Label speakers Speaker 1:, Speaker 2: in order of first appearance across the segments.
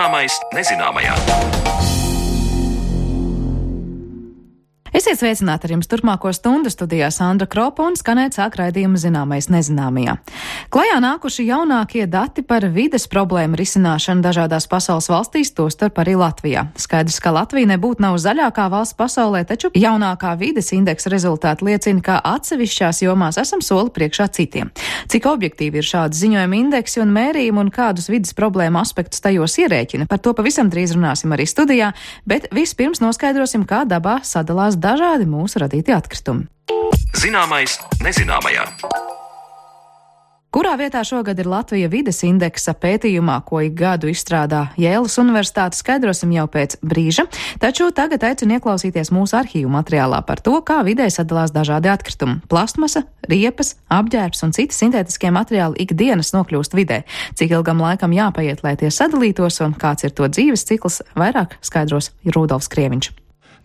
Speaker 1: Zināmais nezināmajā.
Speaker 2: Esiet sveicināti ar jums turpmāko stundu studijā Sandra Kropa un skanēt sāk raidījumu Zināmais nezināmajā. Klajā nākuši jaunākie dati par vides problēmu risināšanu dažādās pasaules valstīs, tostarp arī Latvijā. Skaidrs, ka Latvija nebūtu nav zaļākā valsts pasaulē, taču jaunākā vides indeksa rezultāti liecina, ka atsevišķās jomās esam soli priekšā citiem. Cik objektīvi ir šādi ziņojumi indeksi un mērījumi un kādus vides problēmu aspektus tajos ierēķina? Par to pavisam drīz runāsim arī studijā, bet vispirms noskaidrosim, kā dabā sadalās dažādi mūsu radīti atkritumi.
Speaker 1: Zināmais nezināmajā.
Speaker 2: Kurā vietā šogad ir Latvija vides indeksa pētījumā, ko ik gadu izstrādā Jēlas Universitāte, skaidrosim jau pēc brīža, taču tagad aicinu ieklausīties mūsu arhīvu materiālā par to, kā vidē sadalās dažādi atkritumi. Plastmasa, riepas, apģērbs un citi sintētiskie materiāli ikdienas nokļūst vidē. Cik ilgam laikam jāpaiet, lai tie sadalītos un kāds ir to dzīves cikls, vairāk skaidros Rudolfs Krieviņš.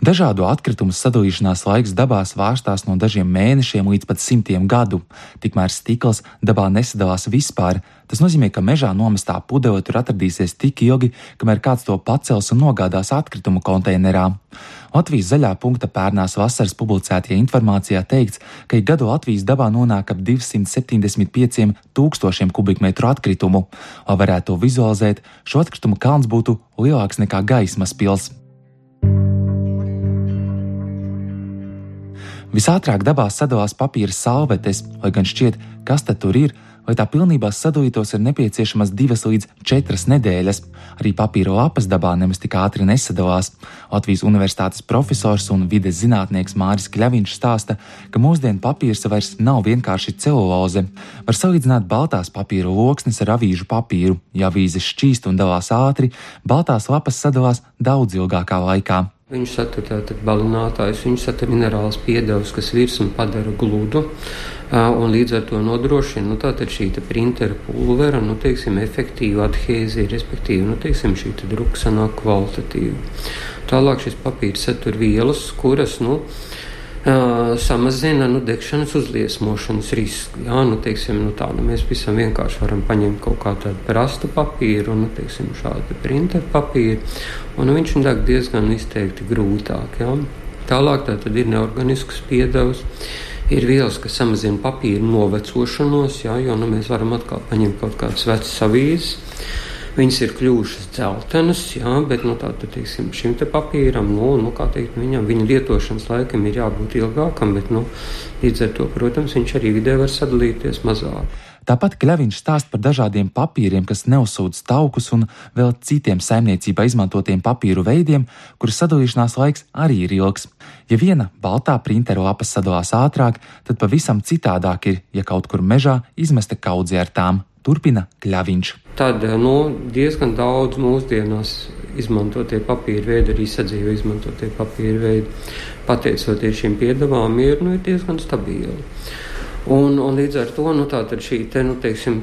Speaker 3: Dažādu atkritumu sadalīšanās laiks dabā svārstās no dažiem mēnešiem līdz pat 100 gadu. Tikmēr stikls dabā nesadalās vispār. Tas nozīmē, ka mežā nomestā pudele tur atradīsies tik ilgi, kamēr kāds to pacels un nogādās atkritumu konteinerā. Latvijas zaļā punkta pērnās vasaras publicētajā informācijā teikts, ka ik gadu Latvijas dabā nonāk ap 275 000 kubikmetru atkritumu. Lai varētu to vizualizēt, šo atkritumu kalns būtu lielāks nekā gaismas pils. Visātrāk dabā sadalās papīra salvetes, lai gan šķiet, kas tad tur ir, lai tā pilnībā sadalītos ir nepieciešamas 2 līdz 4 nedēļas. Arī papīra lapas dabā nemaz tik ātri nesadalās. Latvijas Universitātes profesors un vides zinātnieks Māris Kļaviņš stāsta, ka mūsdienu papīrs vairs nav vienkārši celuloze. Var salīdzināt baltās papīra loksnes ar avīžu papīru. Ja avīzes šķīst un dalās ātri, baltās lapas sadalās daudz ilgākā laikā.
Speaker 4: Viņš satur tātad balinātājus, viņš satur minerālus piedevus, kas virsmu padara gludu un līdz ar to nodrošina, tātad šī printera pulvera, efektīvu adhēziju, respektīvi, šī druka sanāk kvalitatīva. Tālāk šis papīrs satur vielas, kuras, samazina degšanas uzliesmošanas risku. Jā, mēs visam vienkārši varam paņemt kaut kā tādu prastu papīru un, šādu printeru papīru, un viņš deg diezgan izteikti grūtāk. Jā. Tālāk tātad ir neorganisks piedevs, ir vielas, kas samazina papīru novecošanos, jā, jo mēs varam atkal paņemt kaut kādas vecas avīzes. Viņas ir kļuvušas dzeltenas, jā, bet šim te papīram, viņa lietošanas laikam ir jābūt ilgākam, bet līdz ar to, protams, viņš arī vidē var sadalīties mazāk.
Speaker 3: Tāpat Kļaviņš stāst par dažādiem papīriem, kas neuzsūdz taukus un vēl citiem saimniecībā izmantotiem papīru veidiem, kuru sadalīšanās laiks arī ir ilgs. Ja viena baltā printera lapa sadalās ātrāk, tad pavisam citādāk ir, ja kaut kur mežā izmesta kaudze ar tām. Turpina Kļaviņš.
Speaker 4: Tad diezgan daudz mūsdienās izmantotie papīra veidi, arī sadzīve izmantotie papīra veidi, pateicoties šīm piedevām, ir diezgan stabili. Un līdz ar to tātad šī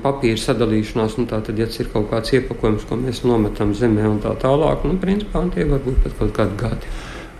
Speaker 4: papīra sadalīšanās, tātad, ja ir kaut kāds iepakojums, ko mēs nometam zemē un tā tālāk, principā tie var būt pat kaut kādi gadi.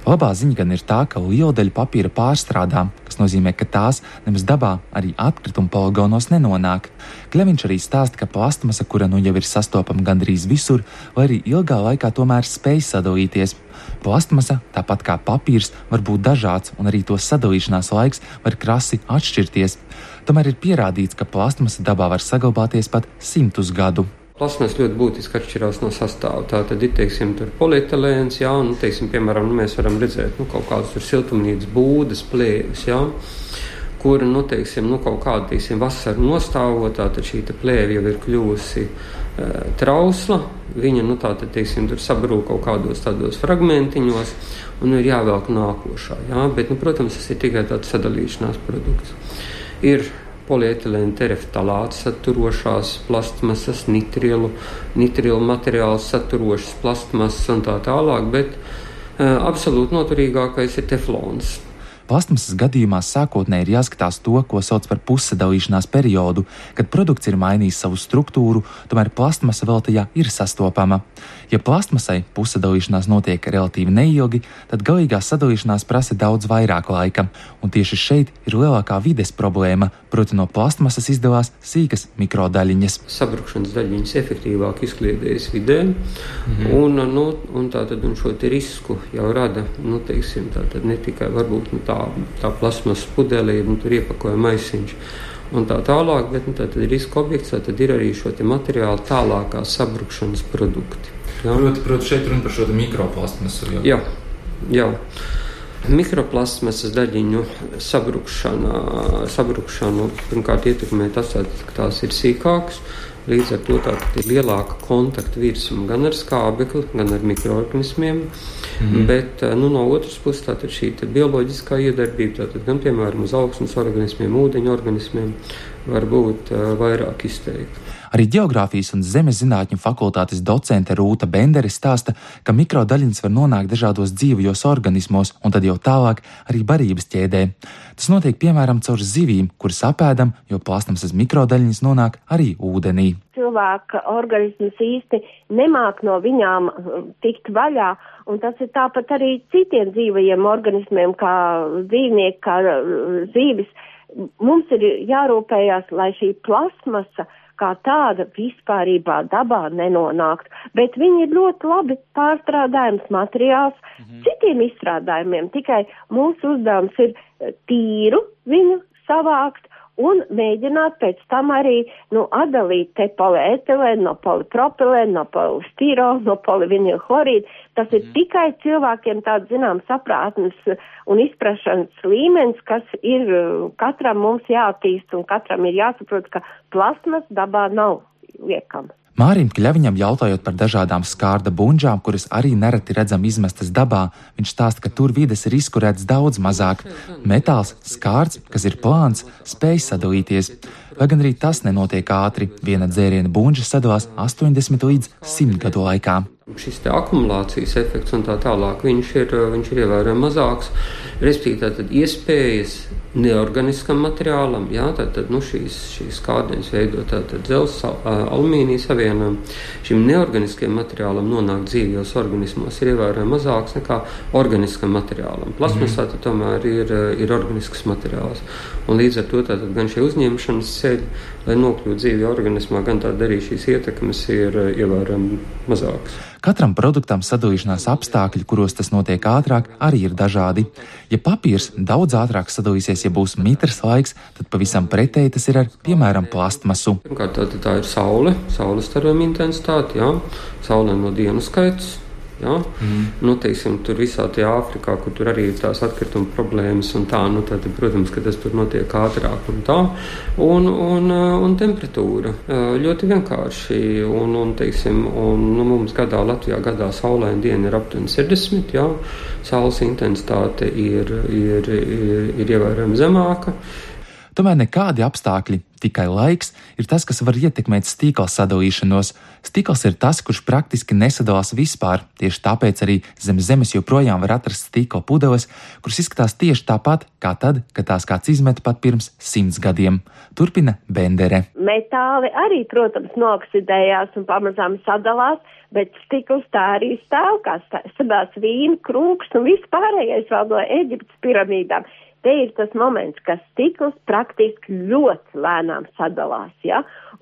Speaker 3: Labā ziņa gan ir tā, ka liela daļa papīra pārstrādā, kas nozīmē, ka tās nemaz dabā arī atkritumu poligonos nenonāk. Kļaviņš arī stāsta, ka plastmasa, kura jau ir sastopama gandrīz visur, vai arī ilgā laikā tomēr spēj sadalīties. Plastmasa, tāpat kā papīrs, var būt dažāds, un arī to sadalīšanās laiks var krasi atšķirties. Tomēr ir pierādīts, ka plastmasa dabā var saglabāties pat 100 gadu.
Speaker 4: Plasmas ļoti būtiski atšķirās no sastāva. Tā tad ir, tur polietilēns, jā, un, piemēram, mēs varam redzēt, kaut kādas tur siltumnīcas būdas, plēvis, jā, kur, kaut kāda, vasara nostāvotā, tad šī plēve jau ir kļuvusi trausla, viņa, tur sabrūk kaut kādos tādos fragmentiņos, un ir jāvelk nākošā, jā, bet, protams, tas ir tikai tāds sadalīšanās produkts. Ir polietilēna tereftalāts saturošās plastmasas, nitrilu materiāls saturošas plastmasas un tā tālāk, bet absolūti noturīgākais ir teflons.
Speaker 3: Plastmasas gadījumā sākotnēji ir jāskatās to, ko sauc par pussadalīšanās periodu, kad produkts ir mainījis savu struktūru, tomēr plastmasa vēl tajā ir sastopama. Ja plastmasai pussadalīšanās notiek relatīvi neilgi, tad galīgā sadalīšanās prasa daudz vairāk laika, un tieši šeit ir lielākā vides problēma, proti no plastmasas izdalās sīkas mikrodaļiņas.
Speaker 4: Sabrukšanas daļiņas efektīvāk izkliedējas vidē, un šo te risku jau rada, tātad ne tikai varbūt tā plasmas pudelī, tur iepakoja maisiņš un tā tālāk, bet tātad riska objekts, tātad ir arī šo te materiālu tālākā sabrukšanas produkti. Ja?
Speaker 3: Proti šeit runa par šo te mikroplastmasu.
Speaker 4: Jā. Mikroplastmasas daļiņu sabrukšanu pirmkārt ietekmē tas, ka tās ir sīkākas. Līdz ar to tātad ir lielāka kontakta virsma gan ar skābekli, gan ar mikroorganismiem, bet no otras puses tātad šī bioloģiskā iedarbība, tātad gan piemēram uz augsnes organismiem, ūdeņu organismiem, var būt vairāk izteikta.
Speaker 3: Arī ģeogrāfijas un zemes zinātņu fakultātes docente Rūta Bendere stāsta, ka mikrodaļiņas var nonākt dažādos dzīvajos organismos un tad jau tālāk arī barības ķēdē. Tas notiek piemēram caur zivīm, kuras apēdam, jo plastmasas mikrodaļiņas nonāk arī ūdenī.
Speaker 5: Cilvēka organisms īsti nemāk no viņām tikt vaļā, un tas ir tāpat arī citiem dzīvajiem organismiem, kā dzīvnieki, kā zīvis. Mums ir jārūpējās, lai šī plasmasa kā tāda vispārībā dabā nenonākt, bet viņi ir ļoti labi pārstrādājums materiāls citiem izstrādājumiem, tikai mūsu uzdevums ir tīru viņu savākt un mēģināt pēc tam arī atdalīt te polietilēnu no polipropilēnu, no polistirolu, no polivinilchlorīdu. Tas ir tikai cilvēkiem tāds saprātnes un izprašanas līmenis, kas ir katram mums jāattīst un katram ir jāsaprot, ka plasmas dabā nav liekama.
Speaker 3: Mārim Kļaviņam jautājot par dažādām skārda bunžām, kuras arī nereti redzam izmestas dabā, viņš stāsta, ka tur vides risku redz daudz mazāk. Metāls, skārds, kas ir plāns, spēj sadalīties. Lai gan arī tas nenotiek ātri, viena dzēriena bunža sadalās 80 līdz 100 gadu laikā.
Speaker 4: Šis te akumulācijas efekts un tā tālāk, viņš ir ievērojami mazāks, respektīvi tātad iespējas neorganiskam materiālam, tātad šīs kārdienas veido tātad dzelzs, alumīnija savienojumu, šim neorganiskiem materiālam nonākt dzīvajos organismos ir ievērojami mazāks nekā organiskam materiālam. Plasmasā tomēr ir organisks materiāls, un līdz ar to tātad gan šie uzņemšanas ceļi, lai nokļūtu dzīvajā organismā, gan tāda arī šīs ietekmes ir ievērojami mazākas.
Speaker 3: Katram produktam sadalīšanās apstākļi, kuros tas notiek ātrāk, arī ir dažādi. Ja papīrs daudz ātrāk sadalīsies, ja būs mitrs laiks, tad pavisam pretēji tas ir ar, piemēram, plastmasu.
Speaker 4: Pirmkārt, tā ir saules starojuma intensitāte, saulē no dienu skaits. Tur visā tajā Āfrikā, kur tur arī ir tās atkrituma problēmas un tā, tad, protams, ka tas tur notiek ātrāk un tā, un temperatūra ļoti vienkārši, mums Latvijā gadā saulaina diena ir aptuveni 60, saules intensitāte ir ievērojami zemāka.
Speaker 3: Tomēr nekādi apstākļi, tikai laiks, ir tas, kas var ietekmēt stīkla sadalīšanos. Stīkls ir tas, kurš praktiski nesadalās vispār, tieši tāpēc arī zem zemes joprojām var atrast stīkla pudeles, kuras izskatās tieši tāpat, kā tad, kad tās kāds izmeta pat pirms 100 gadiem. Turpina Bendere.
Speaker 5: Metāli arī, protams, nooksidējās un pamazām sadalās, bet stikls tā arī stāv, kā sadās vīna, krūks un viss pārējais vēl no Eģiptes piramīdām. Te ir tas moments, ka stikls praktiski ļoti lēnām sadalās,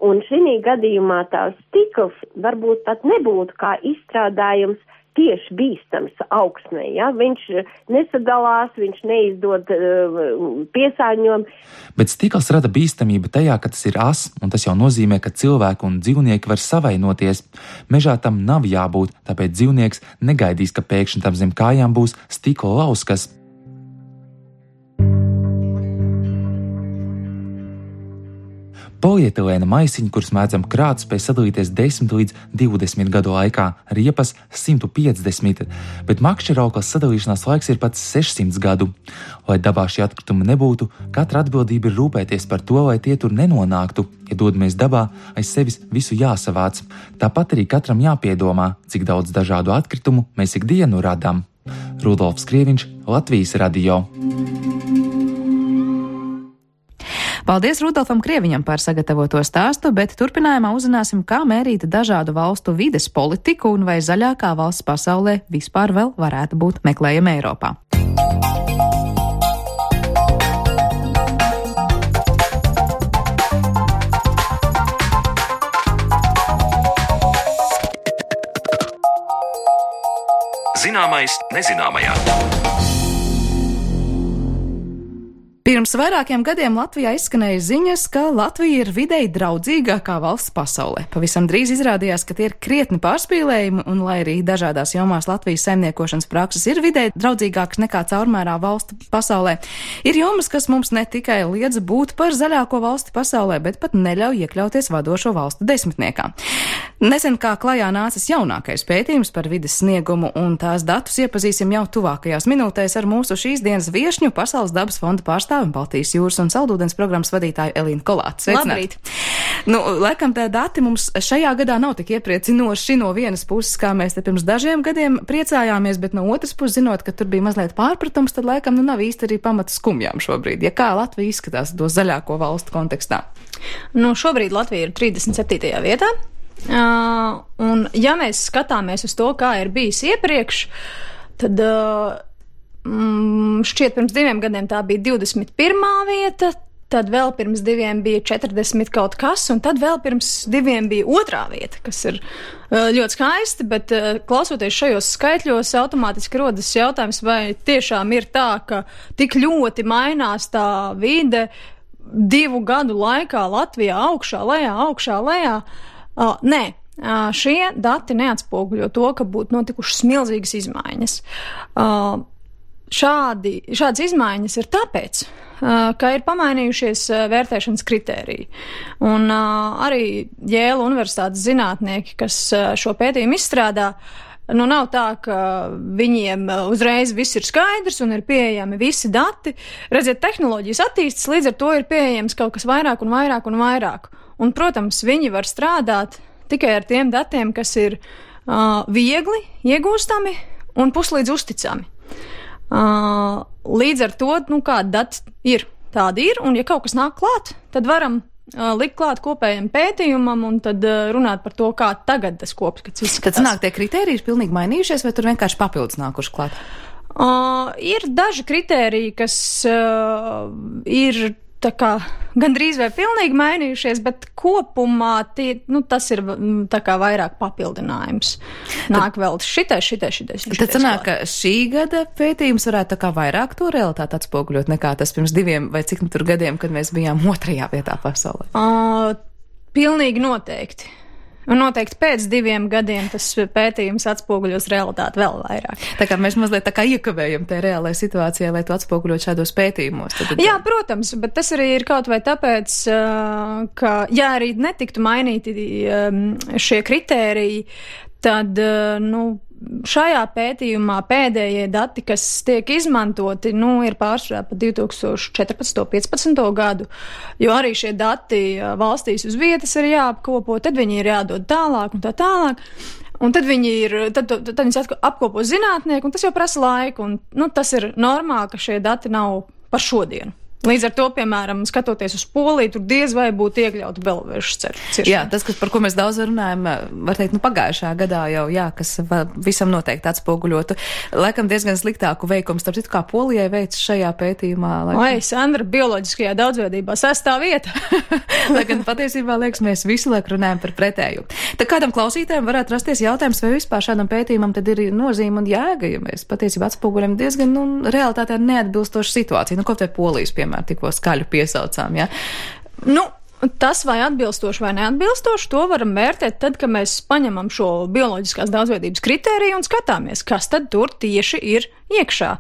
Speaker 5: un šī gadījumā tā stikls varbūt pat nebūtu kā izstrādājums tieši bīstams augsnē, viņš nesadalās, viņš neizdod piesārņojumu.
Speaker 3: Bet stikls rada bīstamību tajā, ka tas ir as, un tas jau nozīmē, ka cilvēki un dzīvnieki var savainoties. Mežā tam nav jābūt, tāpēc dzīvnieks negaidīs, ka pēkšņi tam zem kājām būs stikla lauskas. Polietilēna maisiņi, kurus mēdzam krāt, spēj sadalīties 10 līdz 20 gadu laikā, riepas 150, bet makšķerauklas sadalīšanās laiks ir pat 600 gadu. Lai dabā šie atkritumi nebūtu, katra atbildība ir rūpēties par to, lai tie tur nenonāktu. Ja dodamies dabā, aiz sevis visu jāsavāc. Tāpat arī katram jāpiedomā, cik daudz dažādu atkritumu mēs ikdienu radām. Rudolfs Krieviņš, Latvijas radio.
Speaker 2: Paldies Rudolfam Krieviņam par sagatavoto stāstu, bet turpinājumā uzzināsim, kā mērīt dažādu valstu vides politiku un vai zaļākā valsts pasaulē vispār vēl varētu būt meklējama Eiropā.
Speaker 1: Zināmais nezināmajā.
Speaker 2: Pirms vairākiem gadiem Latvijā izskanēja ziņas, ka Latvija ir videi draudzīgākā valsts pasaulē. Pavisam drīz izrādījās, ka tie ir krietni pārspīlējumi, un lai arī dažādās jomās Latvijas saimniekošanas prakses ir videi draudzīgākas nekā caurmērā valstu pasaulē, ir jomas, kas mums ne tikai liedz būt par zaļāko valsti pasaulē, bet pat neļauj iekļauties vadošo valstu desmitniekā. Nesen kā klajā nācis jaunākais pētījums par vides sniegumu, un tās datus iepazīsim jau tuvākajās minūtēs ar mūsu šīs dienas viešņu, Pasaules dabas fonda pārstāvi un Baltijas jūras un saldūdens programmas vadītāju Elīnu Kolātu.
Speaker 6: Labrīt!
Speaker 2: Laikam tā dati mums šajā gadā nav tik iepriecinoši no vienas puses, kā mēs te pirms dažiem gadiem priecājāmies, bet no otras puses, zinot, ka tur bija mazliet pārpratums, tad laikam nav īsti arī pamata skumjām šobrīd. Ja kā Latvija izskatās to zaļāko valstu kontekstā?
Speaker 6: Šobrīd Latvija ir 37. vietā. Un ja mēs skatāmies uz to, kā ir bijis iepriekš, tad šķiet pirms 2 gadiem tā bija 21. vieta, tad vēl pirms 2 bija 40 kaut kas, un tad vēl pirms 2 bija 2. vieta, kas ir ļoti skaisti, bet klausoties šajos skaitļos, automātiski rodas jautājums, vai tiešām ir tā, ka tik ļoti mainās tā vide 2 gadu laikā Latvijā augšā, lejā. Nē, šie dati neatspoguļo to, ka būtu notikušas milzīgas izmaiņas. Šādas izmaiņas ir tāpēc, ka ir pamainījušies vērtēšanas kritēriji. Un arī Jēla universitātes zinātnieki, kas šo pētījumu izstrādā, nav tā, ka viņiem uzreiz viss ir skaidrs un ir pieejami visi dati. Redziet, tehnoloģijas attīstas, līdz ar to ir pieejams kaut kas vairāk un vairāk. Un, protams, viņi var strādāt tikai ar tiem datiem, kas ir viegli iegūstami un puslīdz uzticami. Līdz ar to, kādi dati ir, tādi ir, un ja kaut kas nāk klāt, tad varam likt klāt kopējam pētījumam un tad runāt par to, kā tagad tas kopskats izskatās.
Speaker 2: Tad sanāk, tie kritēriji ir pilnīgi mainījušies, vai tur vienkārši papildus nākuši klāt?
Speaker 6: Ir daži kritēriji, kas ir tā kā gandrīz vai pilnīgi mainījušies, bet kopumā tas ir tā kā vairāk papildinājums. Nāk vēl šitais.
Speaker 2: Tad sanāk, ka šī gada pētījums varētu tā kā vairāk to realitāti atspoguļot nekā tas pirms 2 vai cik tur gadiem, kad mēs bijām 2. vietā pasaulē?
Speaker 6: Pilnīgi noteikti. Un noteikti pēc 2 gadiem tas pētījums atspoguļos realitāti vēl vairāk.
Speaker 2: Tā kā mēs mazliet tā kā iekavējam tajā reālajā situācijā, lai to atspoguļot šādos pētījumos.
Speaker 6: Jā, protams, bet tas arī ir kaut vai tāpēc, ka, ja arī netiktu mainīti šie kritēriji, tad, šajā pētījumā pēdējie dati, kas tiek izmantoti, ir pārsvarā pa 2014-15 gadu, jo arī šie dati valstīs uz vietas ir jāapkopo, tad viņi ir jādod tālāk un tā tālāk. Un tad viņus apkopo zinātnieki, un tas jau prasa laiku, un tas ir normāli, ka šie dati nav par šodienu. Līdz ar to, piemēram, skatoties uz Poliju, tur diez vai būtu iekļauta belovežas ciršana.
Speaker 2: Jā, tas, par ko mēs daudz runājam, var teikt, pagājušā gadā jau, kas visam noteikti atspoguļotu. Laikam diezgan sliktāku veikumu, starp citu, kā Polijai veic šajā pētījumā.
Speaker 6: Sandra, bioloģiskajā daudzveidībā 6. vieta.
Speaker 2: Lai gan patiesībā, liekas, mēs visu laiku runājam par pretēju. Tad kādam klausītājiem varētu rasties jautājums, vai vispār šādam pētījumam tad ir nozīme un jēga, ja mēs patiesībā atspoguļam diezgan, realitātē neatbilstošu situāciju. Kaut vai Polijas, piemēram, tikko skaļu piesaucām, ja?
Speaker 6: Tas vai atbilstoši vai neatbilstoši, to varam vērtēt tad, kad mēs paņemam šo bioloģiskās daudzveidības kritēriju un skatāmies, kas tad tur tieši ir iekšā.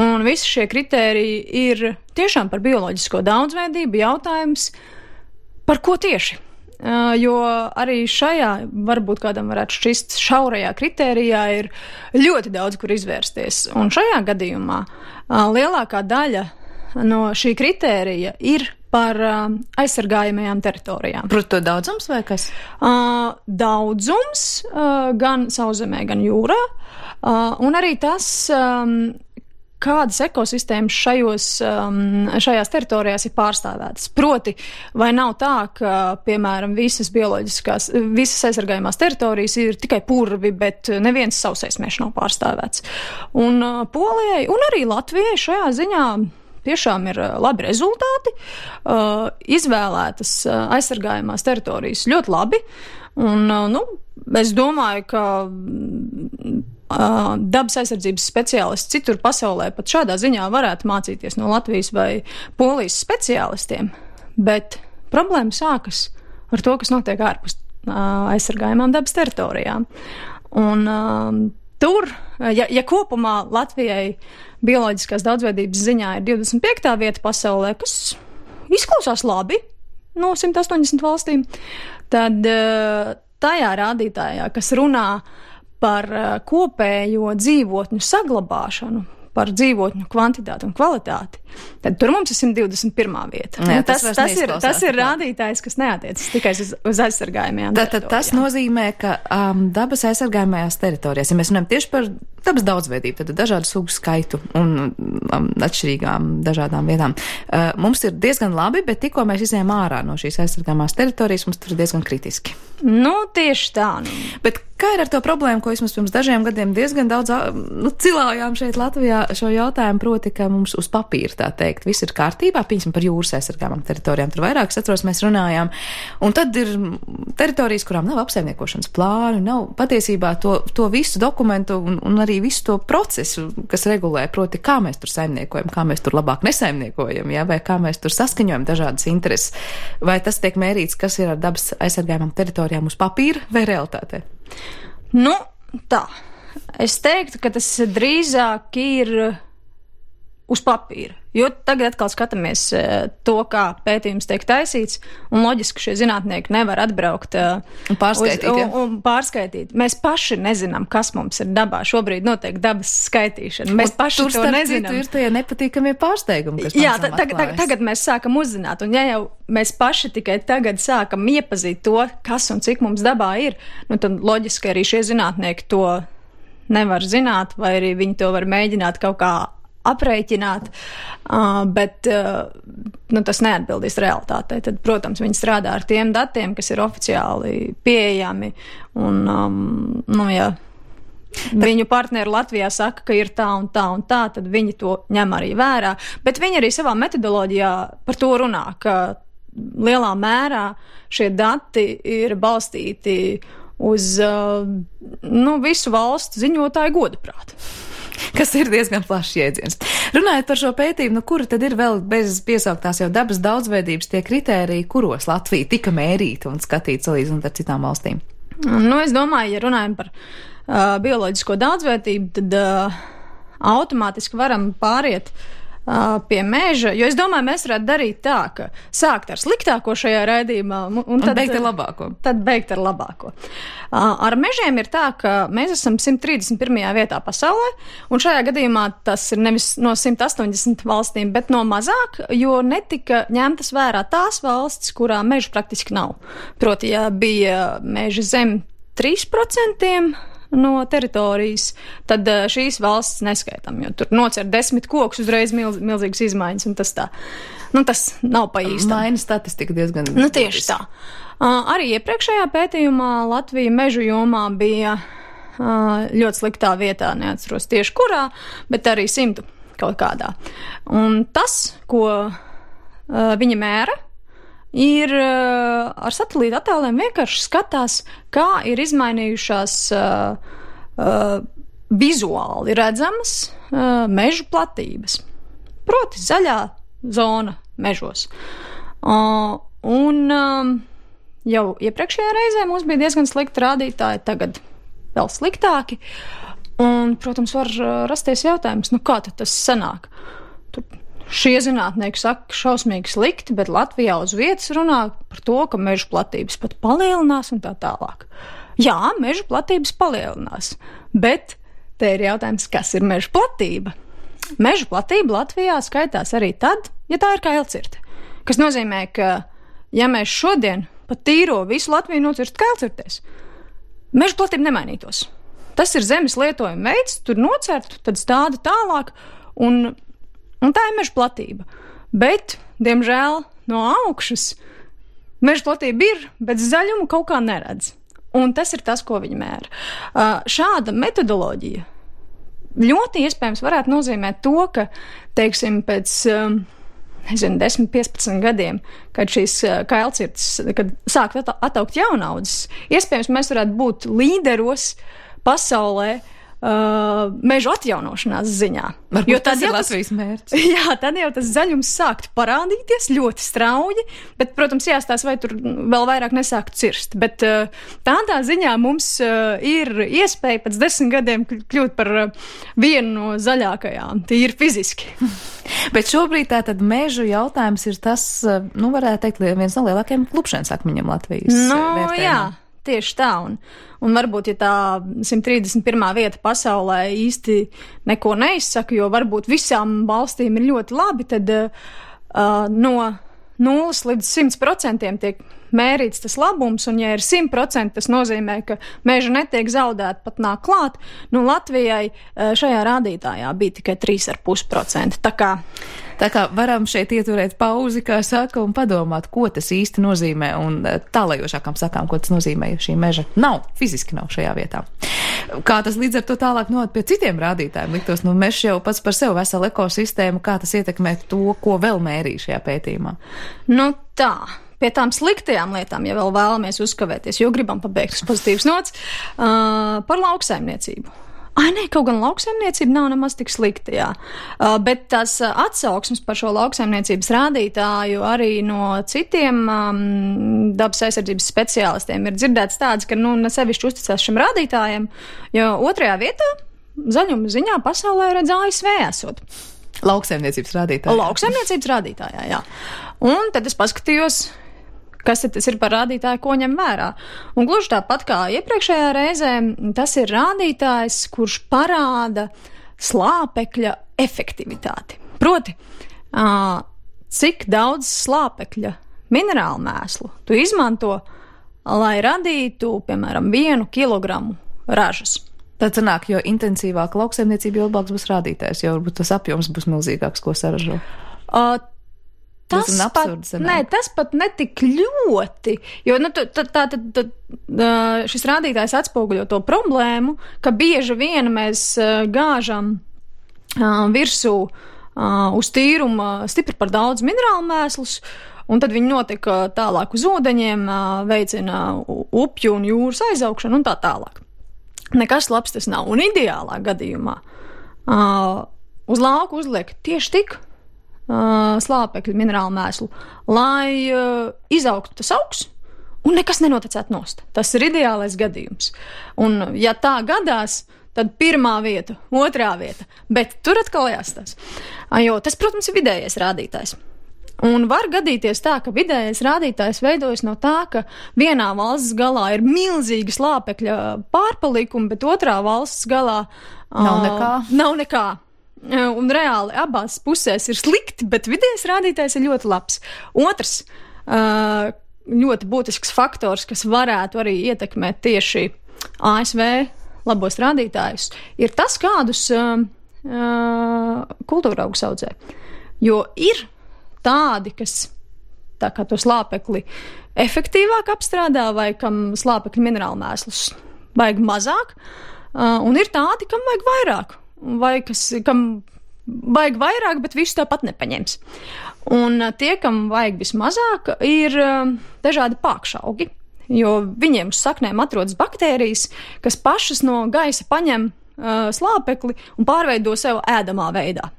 Speaker 6: Un visi šie kritēriji ir tiešām par bioloģisko daudzveidību jautājums, par ko tieši. Jo arī šajā, varbūt kādam varētu šķist, šaurajā kritērijā ir ļoti daudz, kur izvērsties. Un šajā gadījumā lielākā daļa no šī kritērija ir par aizsargājamajām teritorijām.
Speaker 2: Proti to daudzums vai kas?
Speaker 6: Daudzums gan sauszemē, gan jūrā. Un arī tas, kādas ekosistēmas šajās teritorijās ir pārstāvētas. Proti, vai nav tā, ka, piemēram, visas aizsargājumās teritorijas ir tikai purvi, bet neviens sausais mežs nav pārstāvēts. Un Polijai un arī Latvijai šajā ziņā tiešām ir labi rezultāti, izvēlētas aizsargājumās teritorijas ļoti labi, un, es domāju, ka dabas aizsardzības speciālisti citur pasaulē pat šādā ziņā varētu mācīties no Latvijas vai Polijas speciālistiem, bet problēma sākas ar to, kas notiek ārpus aizsargājumām dabas teritorijām. Un tur, ja kopumā Latvijai bioloģiskās daudzveidības ziņā ir 25. vieta pasaulē, kas izklausās labi no 180 valstīm, tad tajā rādītājā, kas runā par kopējo dzīvotņu saglabāšanu, par dzīvotņu kvantitāti un kvalitāti, tad tur mums ir 121. vieta. Jā, tas ir rādītājs, kas neatiecas tikai uz aizsargājumajām teritorijām.
Speaker 2: Tas nozīmē, ka dabas aizsargājumajās teritorijās, ja mēs runājam tieši par dabas daudzveidību, tad dažādu sugu skaitu un atšķirīgām dažādām vietām. Mums ir diezgan labi, bet tikko mēs izējām ārā no šīs aizsargājumās teritorijas, mums tur ir diezgan kritiski.
Speaker 6: Tieši tā.
Speaker 2: Bet kā ir ar to problēmu, ko vismaz pirms dažiem gadiem diezgan daudz cilājām šeit Latvijā šo jautājumu, proti, ka mums uz papīra, tā teikt, viss ir kārtībā, piemēram, par jūras aizsargājumām teritorijām, tur vairāk, es atceros, mēs runājām, un tad ir teritorijas, kurām nav apsaimniekošanas plānu, nav patiesībā to visu dokumentu un arī visu to procesu, kas regulē, proti, kā mēs tur saimniekojam, kā mēs tur labāk nesaimniekojam, ja, vai kā mēs tur saskaņojam dažādas intereses, vai tas tiek mērīts, kas ir ar dabas aizsargājumām teritorijām uz papīra vai realitātē?
Speaker 6: Tā. Es teiktu, ka tas drīzāk ir uz papīra, jo tagad atkal skatāmies to, kā pētījums tiek taisīts, un loģiski šie zinātnieki nevar atbraukt un pārskaitīt. Mēs paši nezinām, kas mums ir dabā. Šobrīd notiek dabas skaitīšana. Mēs paši to nezinām.
Speaker 2: Tur ir tie nepatīkamie pārsteigumi, kas
Speaker 6: jā, tagad mēs sākam uzzināt, un ja jau mēs paši tikai tagad sākam iepazīt to, kas un cik mums dabā ir, tad loģiski arī šie zinātnieki to nevar zināt, vai arī viņi to var mēģināt kaut kā aprēķināt, bet tas neatbildīs realitātei. Tad, protams, viņi strādā ar tiem datiem, kas ir oficiāli pieejami, un, ja viņu partneri Latvijā saka, ka ir tā un tā un tā, tad viņi to ņem arī vērā, bet viņi arī savā metodoloģijā par to runā, ka lielā mērā šie dati ir balstīti uz visu valstu ziņotāju godaprātu.
Speaker 2: Kas ir diezgan plašs jēdziens. Runājot par šo pētījumu, kura tad ir vēl bez piesauktās jau dabas daudzveidības tie kritēriji, kuros Latvija tika mērīta un skatīta salīdzinot ar citām valstīm?
Speaker 6: Es domāju, ja runājam par bioloģisko daudzveidību, tad automātiski varam pāriet pie meža, jo es domāju, mēs varētu darīt tā, ka sākt ar sliktāko šajā raidījumā un tad
Speaker 2: beigt ar labāko.
Speaker 6: Tad beigt ar labāko. Ar mežiem ir tā, ka mēs esam 131. vietā pasaulē, un šajā gadījumā tas ir nevis no 180 valstīm, bet no mazāk, jo netika ņemtas vērā tās valstis, kurā mežu praktiski nav. Proti, ja bija meži zem 3% no teritorijas, tad šīs valsts neskaitam, jo tur nocer 10 kokus uzreiz milzīgas izmaiņas, un tas tā. Tas nav pa īstam.
Speaker 2: Maina statistika diezgan.
Speaker 6: Tieši tā. Arī iepriekšējā pētījumā Latvija mežu jomā bija ļoti sliktā vietā, neatceros tieši kurā, bet arī 100 kaut kādā. Un tas, ko viņi mēra, ir ar satelīta attēliem vienkārši skatās, kā ir izmainījušās vizuāli redzamas mežu platības. Proti zaļā zona mežos. Un jau iepriekšējā reizē mums bija diezgan slikti rādītāji, tagad vēl sliktāki. Un, protams, var rasties jautājums, kā tad tas sanāk? Šie zinātnieki saka, ka šausmīgi slikti, bet Latvijā uz vietas runā par to, ka mežu platības pat palielinās un tā tālāk. Jā, mežu platības palielinās, bet te ir jautājums, kas ir mežu platība. Mežu platība Latvijā skaitās arī tad, ja tā ir kailcirte. Kas nozīmē, ka ja mēs šodien pat tīro visu Latviju nocirst kailcirtēs, mežu platība nemainītos. Tas ir zemes lietojuma veids, tur nocertu, tad stāda tālāk, un tā ir meža platība. Bet, diemžēl, no augšas meža platība ir, bet zaļumu kaut kā neredz. Un tas ir tas, ko viņi mēra. Šāda metodoloģija ļoti iespējams varētu nozīmēt to, ka, teiksim, pēc 10-15 gadiem, kad šīs kailcirtes, kad sāk attaukt jaunaudzes, iespējams mēs varētu būt līderos pasaulē mežu atjaunošanās ziņā.
Speaker 2: Varbūt tas ir Latvijas mērķis.
Speaker 6: Jā, tad jau tas zaļums sāktu parādīties ļoti strauji, bet, protams, jāstāsta, vai tur vēl vairāk nesāktu cirst. Bet tādā ziņā mums ir iespēja pēc 10 gadiem kļūt par vienu no zaļākajām, tīri fiziski.
Speaker 2: Bet šobrīd tātad mežu jautājums ir tas, varētu teikt, viens no lielākajiem klupšanas akmeņiem Latvijas vērtējumā.
Speaker 6: Jā. Tieši tā, un varbūt, ja tā 131. vieta pasaulē īsti neko neizsaka, jo varbūt visām valstīm ir ļoti labi, tad no 0 līdz 100% tiek mērīts tas labums, un ja ir 100%, tas nozīmē, ka meža netiek zaudēta, pat nāk klāt. Latvijai šajā rādītājā bija tikai 3,5%. Tā kā varam šeit ieturēt pauzi, kā saka, un padomāt, ko tas īsti nozīmē, un tālajošākām sakām, ko tas nozīmē, ja šī meža fiziski nav šajā vietā. Kā tas līdz ar to tālāk nod pie citiem rādītājiem liktos, mežs jau pats par sevi veselu ekosistēmu, kā tas ietekmē to, ko vēl mērīja šajā pētījumā? Pie tām sliktajām lietām, ja vēl vēlamies uzkavēties, jo gribam pabeigt uz pozitīvas nots, par lauksaimniecību. Kaut gan lauksaimniecība nav nemaz tik slikta, jā. Bet tās atsauksmes par šo lauksaimniecības rādītāju arī no citiem dabas aizsardzības speciālistiem ir dzirdēts tāds, ka nesevišķi uzticās šim rādītājiem, jo 2. vietā zaļuma ziņā pasaulē redz ASV esot.
Speaker 2: Lauksaimniecības rādītājā.
Speaker 6: Lauksaimniecības rādītājā, jā. Un tad es paskatījos, kas tas ir par rādītāju, ko ņem vērā. Un gluži tāpat kā iepriekšējā reizē, tas ir rādītājs, kurš parāda slāpekļa efektivitāti. Proti, cik daudz slāpekļa minerālu mēslu tu izmanto, lai radītu, piemēram, 1 kilogramu ražas.
Speaker 2: Tad sanāk, jo intensīvāk lauksaimniecība, jo labāks būs rādītājs, jo varbūt tas apjoms būs milzīgāks, ko saražo. Tas pat netik ļoti, jo šis rādītājs atspoguļo to problēmu, ka bieži vien mēs gāžam virsū uz tīruma stipri par daudz minerālu mēslus, un tad viņi notiek tālāk uz ūdeņiem, veicina upju un jūras aizaugšanu un tā tālāk. Nekas labs tas nav, un ideālā gadījumā uz lauku uzliek tieši tik slāpekļu minerālu mēslu, lai izaugtu tas augs un nekas nenotecētu nost. Tas ir ideālais gadījums. Un ja tā gadās, tad 1. vieta, 2. vieta, bet tur atkal jāstāsta. Jo tas, protams, ir vidējais rādītājs. Un var gadīties tā, ka vidējais rādītājs veidojas no tā, ka vienā valsts galā ir milzīgi slāpekļa pārpalikumi, bet otrā valsts galā nav nekā. Un reāli abās pusēs ir slikti, bet vidējais rādītājs ir ļoti labs. Otrs ļoti būtisks faktors, kas varētu arī ietekmēt tieši ASV labos rādītājus, ir tas, kādus kultūra augus audzē. Jo ir tādi, kas tā kā to slāpekli efektīvāk apstrādā, vai kam slāpekļu minerālu mēslus vajag mazāk, un ir tādi, kam vajag vairāk. Vai kam vajag vairāk, bet visu tāpat nepaņems. Un tie, kam vajag vismazāk, ir dažādi pākšaugi, jo viņiem uz saknēm atrodas baktērijas, kas pašas no gaisa paņem slāpekli un pārveido sev ēdamā veidā.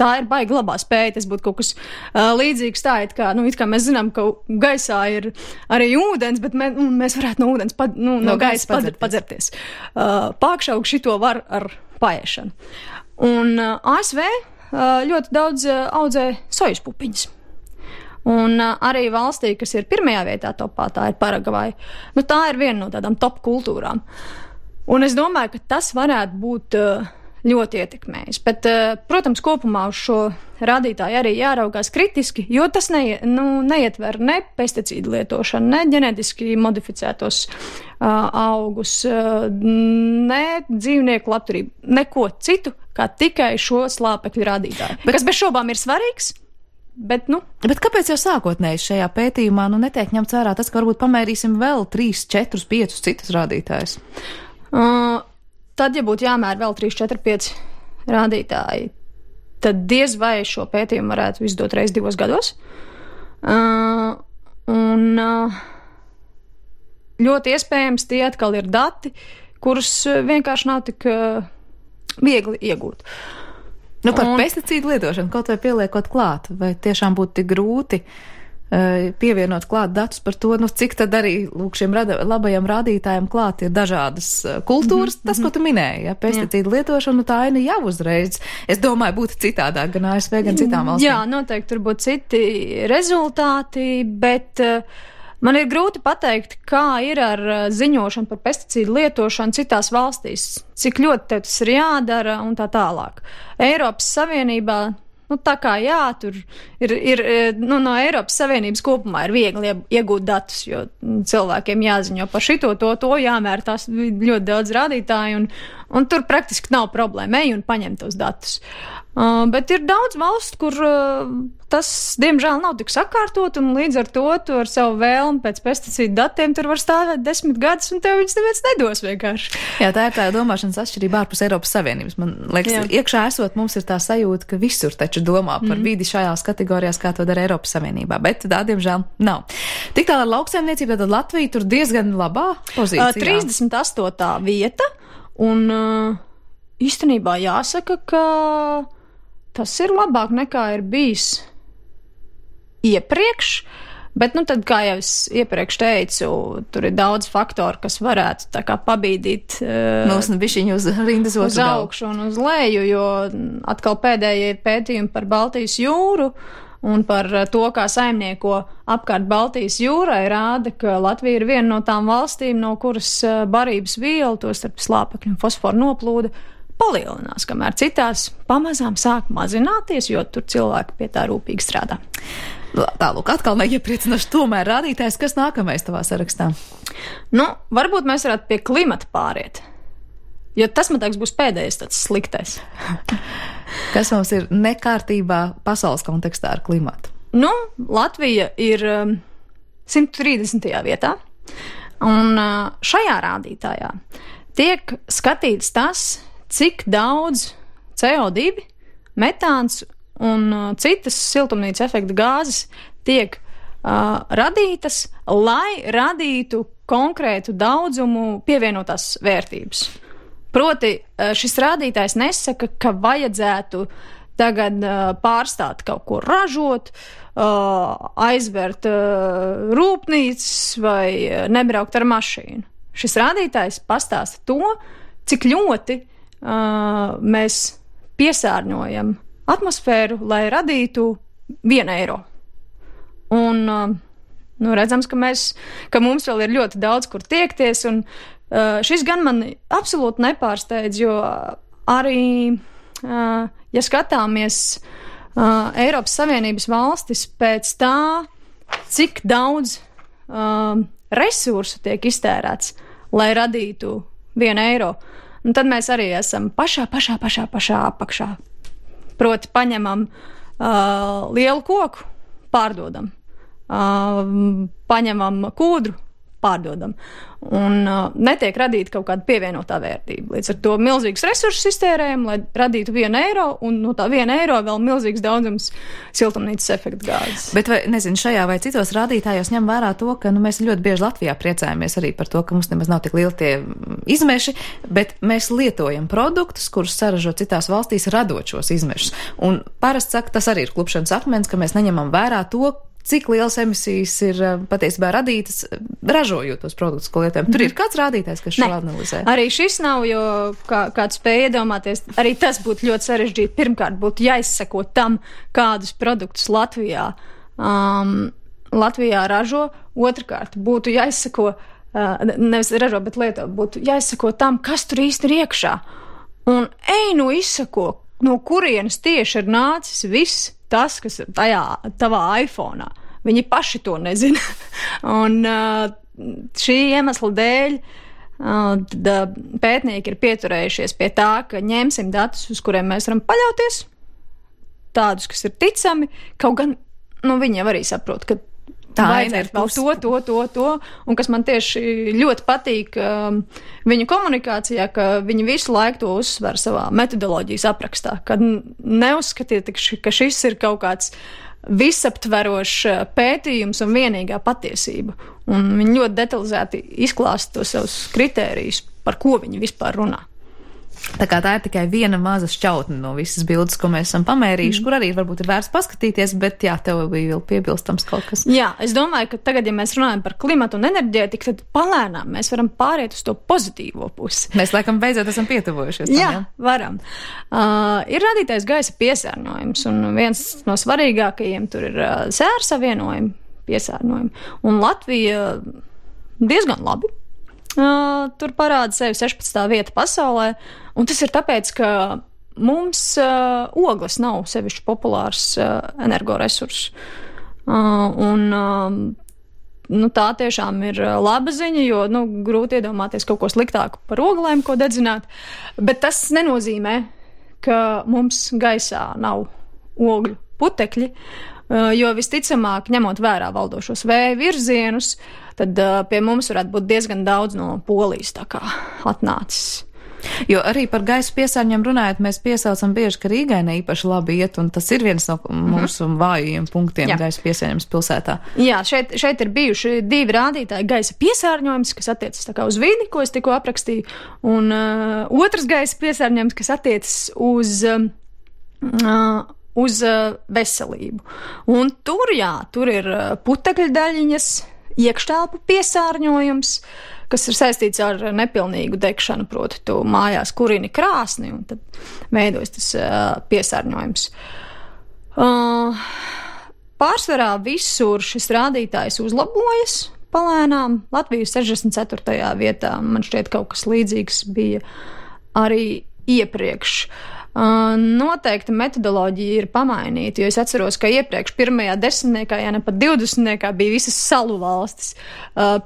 Speaker 2: Tā ir baigi labā spēja, tas būtu kaut kas līdzīgs tā, it kā mēs zinām, ka gaisā ir arī ūdens, bet mēs varētu no ūdens, no gaisa padzerties. Pākšaugi šito var ar paēšanu. Un ASV ļoti daudz audzē sojas pupiņas. Un arī valstī, kas ir 1. vietā topā, tā ir Paragvaja. Tā ir viena no tādām top kultūrām. Un es domāju, ka tas varētu būt
Speaker 6: ļoti ietekmējis. Bet, protams, kopumā uz šo rādītāju arī jāraugās kritiski, jo tas neietver ne pesticīdu lietošanu, ne ģenētiski modificētos augus, ne dzīvnieku labturību, neko citu, kā tikai šo slāpekļu rādītāju. Kas bez šobām ir svarīgs, bet,
Speaker 2: Bet kāpēc jau sākotnēji šajā pētījumā netiek ņemts vērā tas, ka varbūt pamērīsim vēl 3, 4, 5 citus rādītājus?
Speaker 6: Tad, ja būtu jāmēr vēl 3, 4, 5 rādītāji, tad diez vai šo pētījumu varētu izdot reiz 2 gados. Ļoti iespējams tie atkal ir dati, kurus vienkārši nav tik viegli iegūt.
Speaker 2: Par pesticīdu lietošanu kaut vai pieliekot klāt, vai tiešām būtu tik grūti pievienot klāt datus par to, cik tad arī šiem labajiem rādītājiem klāt ir dažādas kultūras, tas, ko tu minēji, pesticīdu lietošanu, tā aina jau uzreiz, es domāju, būtu citādāk gan ASV, gan citām valstīm.
Speaker 6: Jā, noteikti tur būtu citi rezultāti, bet man ir grūti pateikt, kā ir ar ziņošanu par pesticīdu lietošanu citās valstīs, cik ļoti tev tas ir jādara un tā tālāk. Eiropas Savienībā tā kā jā, tur ir no Eiropas Savienības kopumā ir viegli iegūt datus, jo cilvēkiem jāziņo par šito, to jāmēr tās ļoti daudz rādītāju, un tur praktiski nav problēma, ej un paņem tos datus. Bet ir daudz valstu, kur tas, diemžēl, nav tik sakārtot, un līdz ar to tu ar savu vēlmu pēc pesticīdu datiem tur var stāvēt 10 gadus, un tev viņus neviens nedos vienkārši.
Speaker 2: Jā, tā ir tā domāšanas atšķirība ārpus Eiropas Savienības. Man liekas, iekšā esot mums ir tā sajūta, ka visur taču domā par vidi šajās kategorijās, kā to dara Eiropas Savienībā, bet tā, diemžēl, nav. Tik tālāk ar lauksaimniecību, tad Latvija tur diezgan labā pozīcijā.
Speaker 6: 38. vieta, un īstenībā jāsaka, ka tas ir labāk nekā ir bijis iepriekš, bet, tad, kā jau es iepriekš teicu, tur ir daudz faktoru, kas varētu tā kā pabīdīt
Speaker 2: bišķiņu uz rindas
Speaker 6: uz augšu un uz leju, jo atkal pēdējie ir pētījumi par Baltijas jūru un par to, kā saimnieko apkārt Baltijas jūrai, rāda, ka Latvija ir viena no tām valstīm, no kuras barības vielu, to starp slāpekļu un fosforu noplūda, palielinās, kamēr citās pamazām sāk mazināties, jo tur cilvēki pie tā rūpīgi strādā.
Speaker 2: Tālūk, atkal neiepriecinoši tomēr rādītājs, kas nākamais tavā sarakstā?
Speaker 6: Varbūt mēs varētu pie klimata pāriet, jo tas, man liekas, būs pēdējais tāds sliktais.
Speaker 2: Kas mums ir nekārtībā pasaules kontekstā ar klimatu?
Speaker 6: Latvija ir 130. vietā, un šajā rādītājā tiek skatīts tas, cik daudz CO2, metāns un citas siltumnīca efekta gāzes tiek radītas, lai radītu konkrētu daudzumu pievienotās vērtības. Proti, šis rādītājs nesaka, ka vajadzētu tagad pārstāt kaut ko ražot, aizvērt rūpnīcas vai nebraukt ar mašīnu. Šis rādītājs pastāsta to, cik ļoti mēs piesārņojam atmosfēru, lai radītu 1 eiro. Un redzams, ka mums vēl ir ļoti daudz, kur tiekties, un šis gan man absolūti nepārsteidz, jo arī, ja skatāmies Eiropas Savienības valstis pēc tā, cik daudz resursu tiek iztērēts, lai radītu 1 eiro, un tad mēs arī esam pašā apakšā. Proti, paņemam lielu koku, pārdodam, paņemam kūdru, pārdodam, un netiek radīta kaut kāda pievienotā vērtība. Līdz ar to milzīgs resursus iztērējam, lai radītu 1 eiro, un no tā 1 eiro vēl milzīgs daudzums siltumnīcas efekta gāzes.
Speaker 2: Bet vai, šajā vai citos rādītājos ņem vērā to, ka mēs ļoti bieži Latvijā priecājamies arī par to, ka mums nemaz nav tik lieli tie izmeši, bet mēs lietojam produktus, kurus saražo citās valstīs, radot šos izmešus. Un parasti saka, tas arī ir klupšanas akmens, ka mēs neņemam vērā to, cik liels emisijas ir patiesībā radītas, ražojot tos produktus, ko lietojam. Tur ir kāds rādītājs, kas šo analizē?
Speaker 6: Arī šis nav, jo kāds spēja iedomāties, arī tas būtu ļoti sarežģīti. Pirmkārt, būtu jāizseko tam, kādus produktus Latvijā ražo. Otrkārt, būtu jāizseko, nevis ražo, bet lieto, būtu jāizseko tam, kas tur īsti ir iekšā. Un izsako, no kurienes tieši ir nācis viss tas, kas ir tajā tavā iPhone'ā. Viņi paši to nezina. Un šī iemesla dēļ pētnieki ir pieturējušies pie tā, ka ņemsim datus, uz kuriem mēs varam paļauties, tādus, kas ir ticami, kaut gan, viņi arī saprot, ka vajadzētu vēl to, un kas man tieši ļoti patīk viņu komunikācijā, ka viņi visu laiku to uzsver savā metodoloģijas aprakstā, kad neuzskatiet, ka šis ir kaut kāds visaptverošs pētījums un vienīgā patiesība. Un viņi ļoti detalizēti izklāsta tos savus kritērijus, par ko viņi vispār runā.
Speaker 2: Tā kā tā ir tikai viena maza šķautne no visas bildes, ko mēs esam pamērījuši, kur arī varbūt ir vērts paskatīties, bet jā, tev bija vēl piebilstams kaut kas.
Speaker 6: Jā, es domāju, ka tagad, ja mēs runājam par klimatu un enerģētiku, tad palēnām mēs varam pāriet uz to pozitīvo pusi.
Speaker 2: Mēs laikam beidzot esam pietuvojušies.
Speaker 6: Jā, varam. Ir radītais gaisa piesārņojums, un viens no svarīgākajiem tur ir sēra savienojumi piesārņojumi. Un Latvija diezgan labi. Tur parāda sevi 16. vieta pasaulē, un tas ir tāpēc, ka mums ogles nav sevišķi populārs energoresurss. Tā tiešām ir laba ziņa, jo grūti iedomāties kaut ko sliktāku par oglēm, ko dedzināt, bet tas nenozīmē, ka mums gaisā nav ogļu putekļi, jo visticamāk, ņemot vērā valdošos vēja virzienus, tad pie mums varētu būt diezgan daudz no Polijas tā kā atnācis.
Speaker 2: Jo arī par gaisa piesārņojumu runājot, mēs piesaucam bieži, ka Rīgai ne īpaši labi iet, un tas ir viens no mūsu vājajiem punktiem gaisa piesārņojums pilsētā. Jā,
Speaker 6: šeit ir bijuši 2 rādītāji gaisa piesārņojums, kas attiecas tā kā uz vidi, ko es tikko aprakstīju, un otrs gaisa piesārņojums, kas attiecas uz veselību. Un tur ir putekļu daļiņas, iekštelpu piesārņojums, kas ir saistīts ar nepilnīgu degšanu, proti tu mājās kurini krāsni, un tad veidojas tas piesārņojums. Pārsvarā visur šis rādītājs uzlabojas palēnām. Latvija 64. vietā, man šķiet kaut kas līdzīgs bija arī iepriekš. Noteikti metodoloģija ir pamainīta, jo es atceros, ka iepriekš 1. 10. ja ne pat 20. bija visas salu valstis.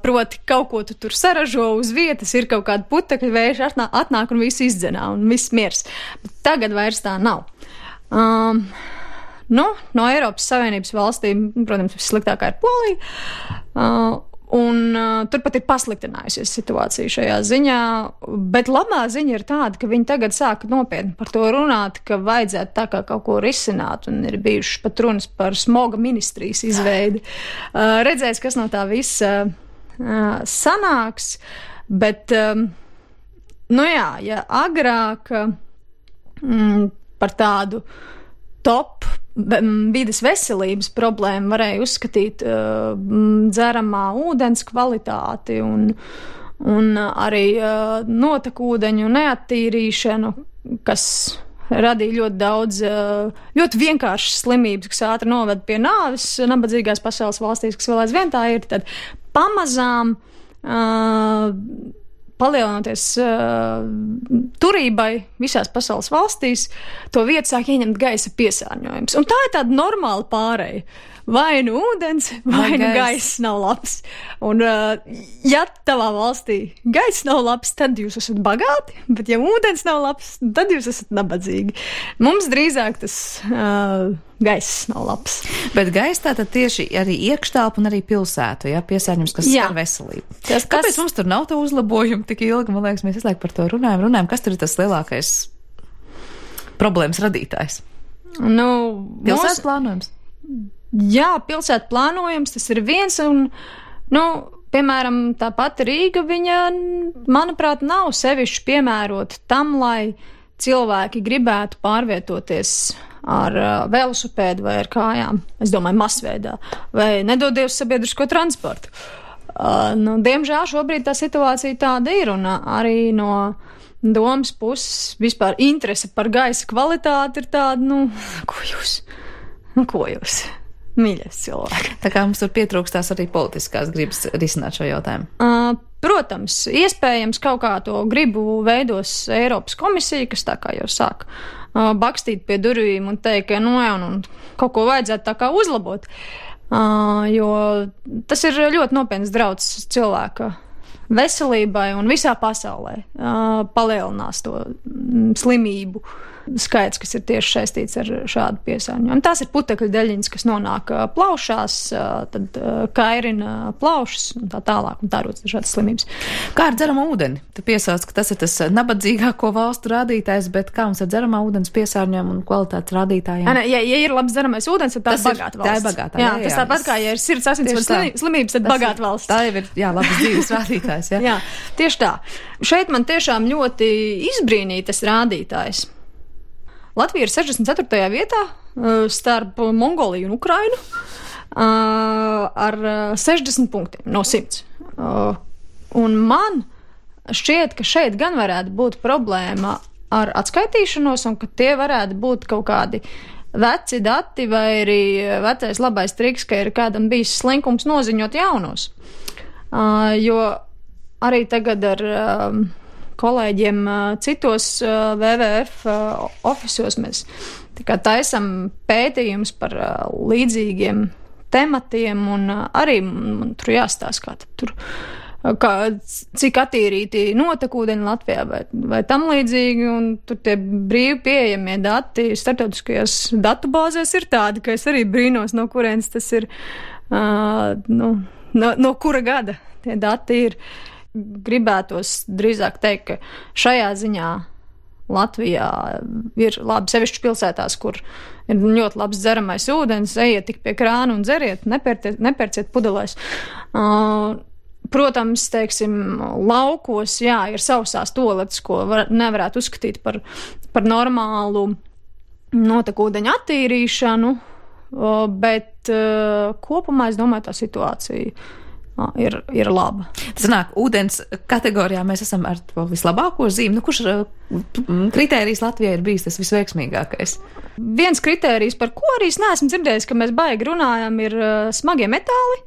Speaker 6: Proti, kaut ko tu tur saražo uz vietas, ir kaut kāda putekļa, vējš atnāk un viss izdzenā un viss miers. Bet tagad vairs tā nav. No Eiropas Savienības valstīm, protams, vissliktākā ir Polija. Un turpat ir pasliktinājusies situācija šajā ziņā, bet labā ziņa ir tāda, ka viņi tagad sāka nopietni par to runāt, ka vajadzētu tā kā kaut ko risināt, un ir bijušas pat runas par smoga ministrijas izveidi. Redzēs, kas no tā visa sanāks, bet, ja agrāk par tādu top vides veselības problēmu varēja uzskatīt dzeramā ūdens kvalitāti un arī notekūdeņu neattīrīšanu, kas radīja ļoti daudz, ļoti vienkāršas slimības, kas ātri noved pie nāves nabadzīgās pasaules valstīs, kas vēl aizvien tā ir, tad pamazām palielinoties turībai visās pasaules valstīs, to vietu sāk ieņemt gaisa piesārņojums. Un tā ir tāda normāla pāreja. Vai nu ūdens, vai nu gaiss nav labs. Un, ja tavā valstī gaiss nav labs, tad jūs esat bagāti, bet ja ūdens nav labs, tad jūs esat nabadzīgi. Mums drīzāk tas gaiss nav labs.
Speaker 2: Bet gaiss tātad tieši arī iekštelpu un arī pilsētu, piesārņojums, kas skar veselību. Kāpēc mums tur nav to uzlabojumu tik ilgi? Man liekas, mēs visu laiku par to runājam, kas tur ir tas lielākais problēmas radītājs? Pilsētas plānojums?
Speaker 6: Jā, pilsētu plānojums, tas ir viens, un, piemēram, tā pati Rīga, viņa, manuprāt, nav sevišķi piemērota tam, lai cilvēki gribētu pārvietoties ar velosipēdu vai ar kājām, es domāju, masveidā, vai nedodies sabiedrisko transportu. Diemžēl šobrīd tā situācija tāda ir, un arī no domas puses vispār interese par gaisa kvalitāti ir tāda, ko jūs? Mīļais cilvēki.
Speaker 2: Tā kā mums tur pietrūkstās arī politiskās gribas risināt šo jautājumu.
Speaker 6: Protams, iespējams kaut kā to gribu veidos Eiropas komisija, kas tā kā jau sāk bakstīt pie durvīm un teikt, ka kaut ko vajadzētu tā kā uzlabot, jo tas ir ļoti nopietns drauds cilvēka veselībai un visā pasaulē palielinās to slimību skaits, kas ir tieši saistīts ar šādu piesārņojumu. Tās ir putekļu daļiņas, kas nonāk plaušās, tad kairina plaušas un tā tālāk, un tā rodas dažādas slimības.
Speaker 2: Kā ar dzeramo ūdeni? Tu piesauc, ka tas ir tas nabadzīgāko valstu rādītājs, bet kā mums ar dzeramā ūdens piesārņojumu un kvalitātes rādītājiem?
Speaker 6: Ja ir labs dzeramais ūdens, tad tā ir bagāta valsts.
Speaker 2: Tā ir bagāta, jā,
Speaker 6: tas tāpat kā, ja ir sirds asinsvadu slimības, tad bagāta valsts.
Speaker 2: Tā jau ir, labas dzīves rādītājs, jā.
Speaker 6: Jā, tieši tā. Šeit man tiešām ļoti izbrīnīja tas rādītājs. Latvija ir 64. vietā starp Mongoliju un Ukrainu ar 60 punktiem no 100. Un man šķiet, ka šeit gan varētu būt problēma ar atskaitīšanos un ka tie varētu būt kaut kādi veci dati vai arī vecais labais triks, ka ir kādam bijis slinkums noziņot jaunos. Jo arī tagad ar kolēģiem citos WWF ofisos mēs taisam pētījumus par līdzīgiem tematiem un arī man tur jāstāsta, cik attīrīti notekūdeņi Latvijā vai tam līdzīgi, un tur tie brīvi pieejamie dati starptautiskajās datubāzēs ir tādi, ka es arī brīnos, no kurienes tas ir, no kura gada tie dati ir. Gribētos drīzāk teikt, ka šajā ziņā Latvijā ir labi, sevišķi pilsētās, kur ir ļoti labs dzeramais ūdens, ejiet tik pie krāna un dzeriet, nepērciet pudelēs. Protams, teiksim, laukos, ir sausās toaletes, ko nevarētu uzskatīt par normālu notekūdeņu attīrīšanu, bet kopumā es domāju, tā situācija ir laba.
Speaker 2: Tas nāk, ūdens kategorijā mēs esam ar to vislabāko zīmi. Kurš kritērijs Latvijai ir bijis tas visveiksmīgākais?
Speaker 6: Viens kritērijs, par ko arī es neesmu dzirdējis, ka mēs baigi runājam, ir smagie metāli.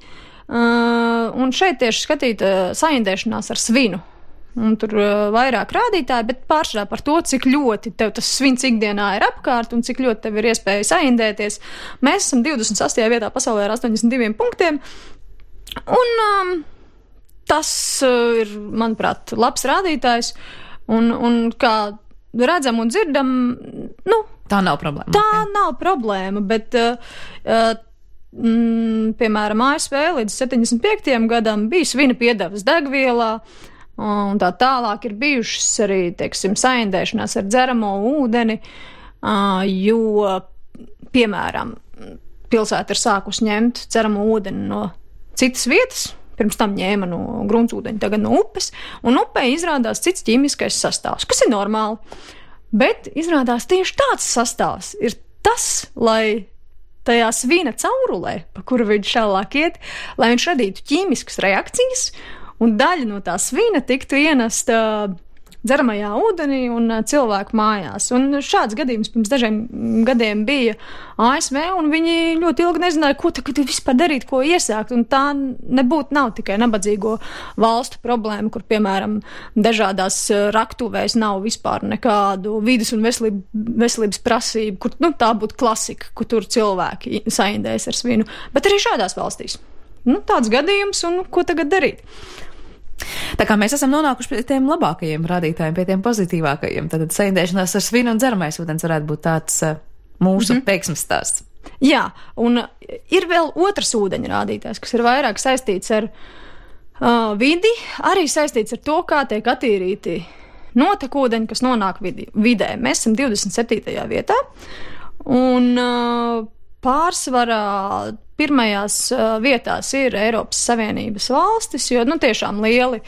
Speaker 6: Un šeit tieši skatīt saindēšanās ar svinu. Un tur vairāk rādītāji, bet pārsvarā par to, cik ļoti tev tas svins ikdienā ir apkārt un cik ļoti tev ir iespēja saindēties. Mēs esam 28. vietā pasaulē ar 82 punktiem. Un tas ir, manuprāt, labs rādītājs, un kā redzam un dzirdam,
Speaker 2: tā nav problēma.
Speaker 6: Tā nav problēma, bet, piemēram, ASV līdz 75. gadam bija svina piedevas degvielā, un tā tālāk ir bijušas arī, teiksim, saindēšanās ar dzeramo ūdeni, jo, piemēram, pilsēta ir sākus ņemt dzeramo ūdeni no citas vietas, pirms tam ņēma no gruntsūdeņa, tagad no upes, un upē izrādās cits ķīmiskais sastāvs, kas ir normāli. Bet izrādās tieši tāds sastāvs ir tas, lai tajā svina caurulē, pa kuru viņš šālāk iet, lai viņš radītu ķīmiskas reakcijas, un daļa no tā svina tiktu ienesta dzeramajā ūdenī un cilvēku mājās. Un šāds gadījums pirms dažiem gadiem bija ASV, un viņi ļoti ilgi nezināja, ko tagad vispār darīt, ko iesākt. Un tā nav tikai nabadzīgo valstu problēma, kur, piemēram, dažādās raktuvēs nav vispār nekādu vides un veselības prasību, kur tā būtu klasika, kur tur cilvēki saindēs ar svinu. Bet arī šādās valstīs. Tāds gadījums, un ko tagad darīt?
Speaker 2: Tā kā mēs esam nonākuši pie tiem labākajiem rādītājiem, pie tiem pozitīvākajiem, tad saindēšanās ar svinu un dzeramais ūdens varētu būt tāds mūsu veiksmes stāsts.
Speaker 6: Jā, un ir vēl otrs ūdeņa rādītājs, kas ir vairāk saistīts ar vidi, arī saistīts ar to, kā tiek attīrīti notekūdeņi, kas nonāk vidē. Mēs esam 27. vietā, un pārsvarā pirmajās vietās ir Eiropas Savienības valstis, jo tiešām lieli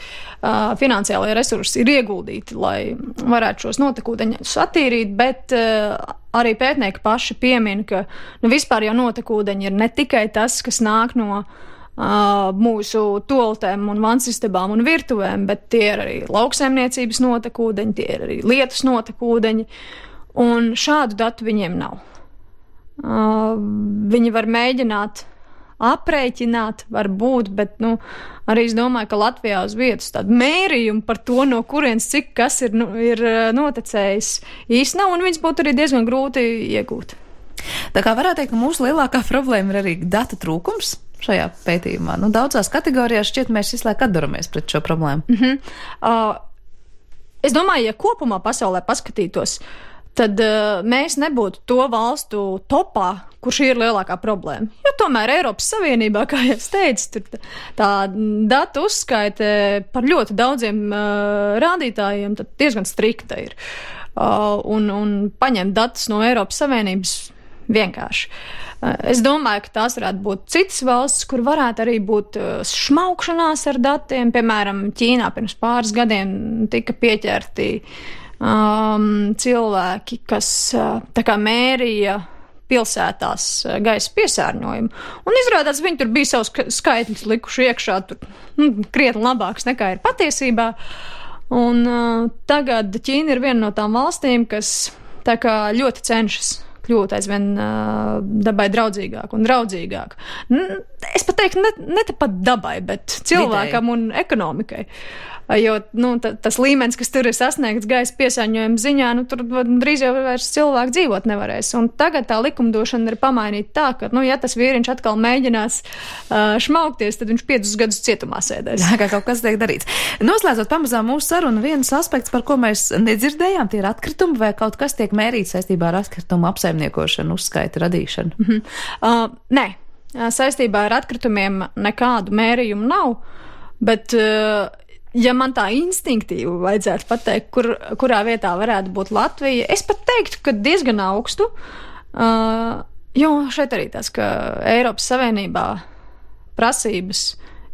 Speaker 6: finansiālie resursi ir ieguldīti, lai varētu šos notekūdeņus attīrīt, bet arī pētnieki paši piemin, ka vispār jau notekūdeņi ir ne tikai tas, kas nāk no mūsu toaletēm un vansistabām un virtuvēm, bet tie ir arī lauksaimniecības notekūdeņi, tie ir arī lietus notekūdeņi, un šādu datu viņiem nav. Viņi var mēģināt aprēķināt, varbūt, bet, arī es domāju, ka Latvijā uz vietas tādu mērījumu par to, no kurienes cik kas ir noticējis īsti nav, un viņas būtu arī diezgan grūti iegūt.
Speaker 2: Tā kā varētu teikt, ka mūsu lielākā problēma ir arī data trūkums šajā pētījumā. Daudzās kategorijās šķiet mēs visu laiku atduramies pret šo problēmu.
Speaker 6: Es domāju, ja kopumā pasaulē paskatītos, tad mēs nebūtu to valstu topā, kur šī ir lielākā problēma. Jo tomēr Eiropas Savienībā, kā jau es teicu, tur tā datu uzskaite par ļoti daudziem rādītājiem tad diezgan strikta ir. Un paņemt datus no Eiropas Savienības vienkārši. Es domāju, ka tās varētu būt citas valstis, kur varētu arī būt šmaukšanās ar datiem. Piemēram, Ķīnā pirms pāris gadiem tika pieķerti cilvēki, kas tā kā mērīja pilsētās gaisa piesārņojumu. Un izrādās, viņi tur bija savus skaitļus likuši iekšā, tur krietni labāks nekā ir patiesībā. Un tagad Ķīna ir viena no tām valstīm, kas tā kā ļoti cenšas kļūt aizvien dabai draudzīgāk un draudzīgāk. Es pat teiktu, ne pat dabai, bet cilvēkam un ekonomikai. Jo tas līmenis, kas tur ir sasniegts gaisa piesārņojuma ziņā, tur drīz jau vairs cilvēki dzīvot nevarēs. Un tagad tā likumdošana ir pamainīta tā, ka, ja tas vīriņš atkal mēģinās šmaukties, tad viņš 5 gadus cietumā sēdēs.
Speaker 2: Jā, kā kaut kas tiek darīts. Noslēdzot pamazām mūsu sarunu, viens aspekts, par ko mēs nedzirdējām, tie ir atkritumi, vai kaut kas tiek mērīts saistībā ar atkritumu apsaimniekošanu, uzskaita radīšanu?
Speaker 6: Nē, saistībā ar atkritumiem nekādu mērījumu nav, bet ja man tā instinktīvi vajadzētu pateikt, kurā vietā varētu būt Latvija, es pat teiktu, ka diezgan augstu, jo šeit arī tas, ka Eiropas Savienībā prasības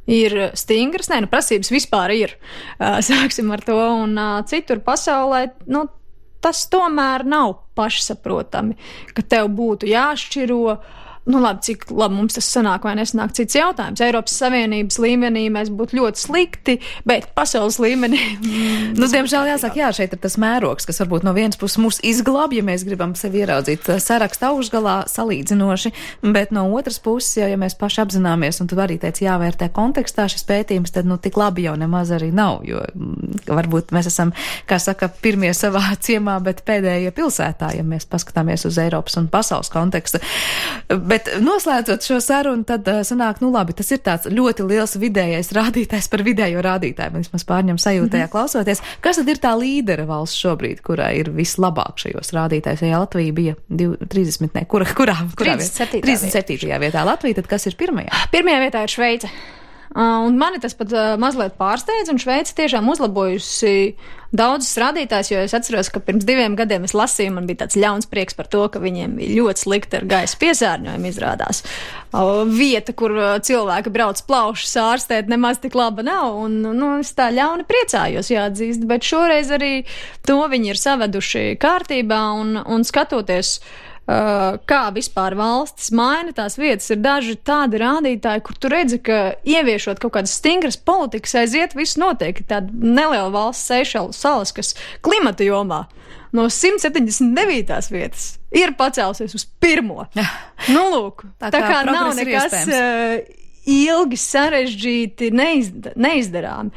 Speaker 6: ir stingras, prasības vispār ir, sāksim ar to, un citur pasaulē, tas tomēr nav pašsaprotami, ka tev būtu jāšķiro. Cik labi mums tas sanāk vai nesanāk cits jautājums. Eiropas Savienības līmenī mēs būtu ļoti slikti, bet pasaules līmenī.
Speaker 2: Diemžēl jāsaka, šeit ir tas mērogs, kas varbūt no vienas puses mūs izglāb, ja mēs gribam sevi ieraudzīt saraksta augšgalā salīdzinoši, bet no otras puses, ja mēs paši apzināmies, un tu arī teici, jāvērtē kontekstā šis pētījums, tad tik labi jau nemaz arī nav, jo varbūt mēs esam, kā saka, pirmie savā ciemā, bet pēdējie pilsētā, ja mēs paskatāmies uz Eiropas un pasaules kontekstu. Bet noslēdzot šo sarunu, tad sanāk, labi, tas ir tāds ļoti liels vidējais rādītājs par vidējo rādītāju. Man vismaz pārņem sajūtajā klausoties. Kas tad ir tā līdera valsts šobrīd, kurā ir vislabāk šajos rādītājos? Ja Latvija bija 30, ne, kurā 37. vietā Latvija, tad kas ir pirmajā?
Speaker 6: Pirmajā vietā ir Šveice. Un mani tas pat mazliet pārsteidz, un Šveice tiešām uzlabojusi daudzus rādītājus, jo es atceros, ka pirms 2 gadiem es lasīju, man bija tāds ļauns prieks par to, ka viņiem bija ļoti slikti ar gaisa piesārņojumu izrādās. Vieta, kur cilvēki brauc plaušas ārstēt, nemaz tik laba nav, un es tā ļauni priecājos, jāatzīst, bet šoreiz arī to viņi ir saveduši kārtībā, un skatoties, kā vispār valstis maina tās vietas, ir daži tādi rādītāji, kur tu redzi, ka ieviešot kaut kādas stingras politikas aiziet, viss notiek. Tāda neliela valsts Seišelu salas, kas klimata jomā no 179. vietas ir pacēlusies uz 1. Lūk, tā kā nav nekas ilgi sarežģīti, neizdarāmi.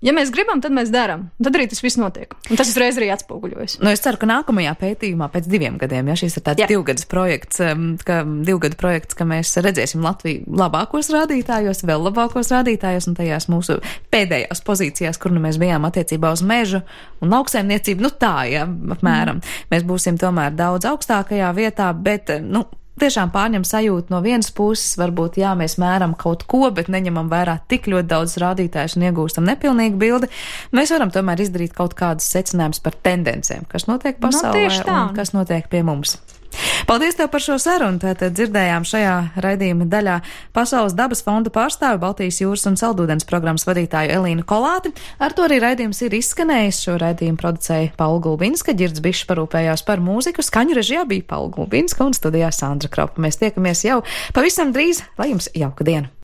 Speaker 6: Ja mēs gribam, tad mēs darām. Tad arī tas viss notiek. Un tas uzreiz arī atspoguļojas.
Speaker 2: Es ceru, ka nākamajā pētījumā pēc 2 gadiem, šis ir tāds 2 gadu projekts, ka mēs redzēsim Latviju labākos rādītājos, vēl labākos rādītājos un tajās mūsu pēdējās pozīcijās, kur mēs bijām attiecībā uz mežu un lauksaimniecību. Apmēram. Mēs būsim tomēr daudz augstākajā vietā, bet, tiešām pārņem sajūtu no vienas puses, varbūt, mēs mēram kaut ko, bet neņemam vērā tik ļoti daudz rādītājus un iegūstam nepilnīgu bildi. Mēs varam tomēr izdarīt kaut kādus secinājumus par tendencēm, kas notiek pasaulē un kas notiek pie mums. Paldies tev par šo sarunu. Tātad dzirdējām šajā raidījuma daļā Pasaules dabas fonda pārstāvi, Baltijas jūras un saldūdens programmas vadītāju Elīnu Kolāti. Ar to arī raidījums ir izskanējis. Šo raidījumu producēja Paula Gulbinska, Ģirds Bišs parūpējās par mūziku, skaņu režijā bija Paula Gulbinska un studijā Sandra Kropa. Mēs tiekamies jau pavisam drīz, lai jums jauka diena!